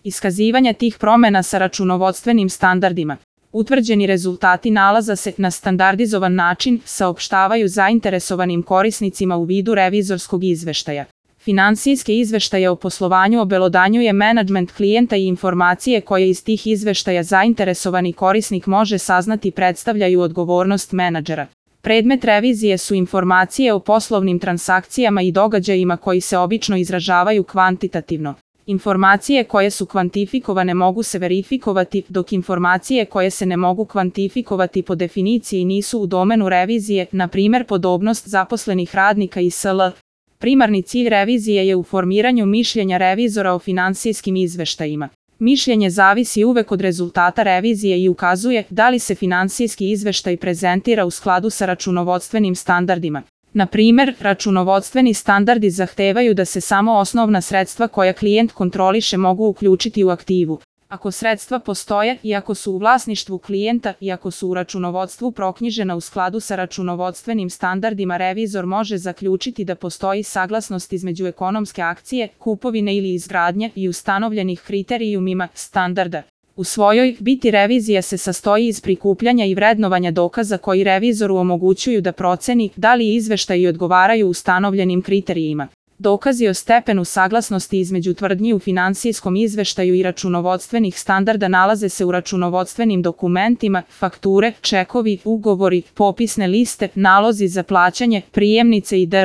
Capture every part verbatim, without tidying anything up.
iskazivanja tih promena sa računovodstvenim standardima. Utvrđeni rezultati nalaza se na standardizovan način saopštavaju zainteresovanim korisnicima u vidu revizorskog izveštaja. Finansijske izveštaje o poslovanju obelodanjuje menadžment klijenta i informacije koje iz tih izveštaja zainteresovani korisnik može saznati predstavljaju odgovornost menadžera. Predmet revizije su informacije o poslovnim transakcijama i događajima koji se obično izražavaju kvantitativno. Informacije koje su kvantifikovane mogu se verifikovati, dok informacije koje se ne mogu kvantifikovati po definiciji nisu u domenu revizije, na primer podobnost zaposlenih radnika i sl. Primarni cilj revizije je u formiranju mišljenja revizora o finansijskim izveštajima. Mišljenje zavisi uvek od rezultata revizije i ukazuje da li se finansijski izveštaj prezentira u skladu sa računovodstvenim standardima. Na primer, računovodstveni standardi zahtevaju da se samo osnovna sredstva koja klijent kontroliše mogu uključiti u aktivu. Ako sredstva postoje i ako su u vlasništvu klijenta i ako su u računovodstvu proknjižena u skladu sa računovodstvenim standardima, revizor može zaključiti da postoji saglasnost između ekonomske akcije, kupovine ili izgradnje i ustanovljenih kriterijumima standarda. U svojoj biti revizija se sastoji iz prikupljanja i vrednovanja dokaza koji revizoru omogućuju da proceni da li izveštaji odgovaraju ustanovljenim kriterijima. Dokazi o stepenu saglasnosti između tvrdnji u finansijskom izveštaju i računovodstvenih standarda nalaze se u računovodstvenim dokumentima, fakture, čekovi, ugovori, popisne liste, nalozi za plaćanje, prijemnice itd.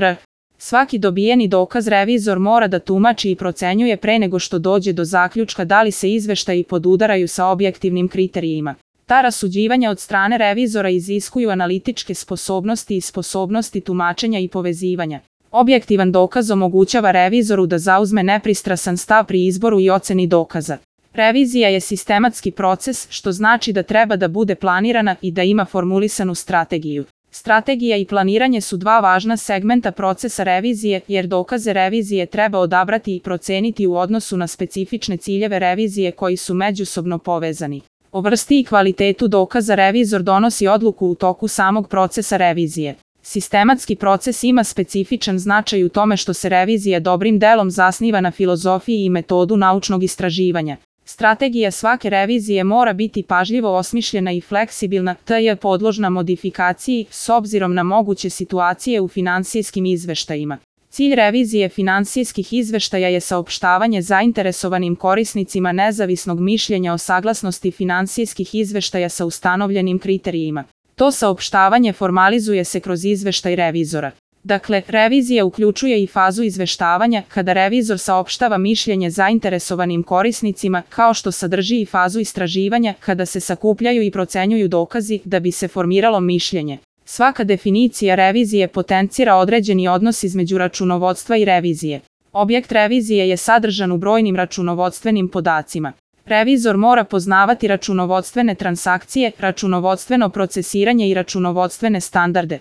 Svaki dobijeni dokaz revizor mora da tumači i procenjuje pre nego što dođe do zaključka da li se izveštaji podudaraju sa objektivnim kriterijima. Ta rasuđivanja od strane revizora iziskuju analitičke sposobnosti i sposobnosti tumačenja i povezivanja. Objektivan dokaz omogućava revizoru da zauzme nepristrasan stav pri izboru i oceni dokaza. Revizija je sistematski proces, što znači da treba da bude planirana i da ima formulisanu strategiju. Strategija i planiranje su dva važna segmenta procesa revizije, jer dokaze revizije treba odabrati i proceniti u odnosu na specifične ciljeve revizije koji su međusobno povezani. O vrsti i kvalitetu dokaza revizor donosi odluku u toku samog procesa revizije. Sistematski proces ima specifičan značaj u tome što se revizija dobrim delom zasniva na filozofiji i metodu naučnog istraživanja. Strategija svake revizije mora biti pažljivo osmišljena i fleksibilna, te je podložna modifikaciji s obzirom na moguće situacije u finansijskim izveštajima. Cilj revizije finansijskih izveštaja je saopštavanje zainteresovanim korisnicima nezavisnog mišljenja o saglasnosti finansijskih izveštaja sa ustanovljenim kriterijima. To saopštavanje formalizuje se kroz izveštaj revizora. Dakle, revizija uključuje i fazu izveštavanja, kada revizor saopštava mišljenje zainteresovanim korisnicima, kao što sadrži i fazu istraživanja, kada se sakupljaju i procenjuju dokazi da bi se formiralo mišljenje. Svaka definicija revizije potencira određeni odnos između računovodstva i revizije. Objekt revizije je sadržan u brojnim računovodstvenim podacima. Revizor mora poznavati računovodstvene transakcije, računovodstveno procesiranje i računovodstvene standarde.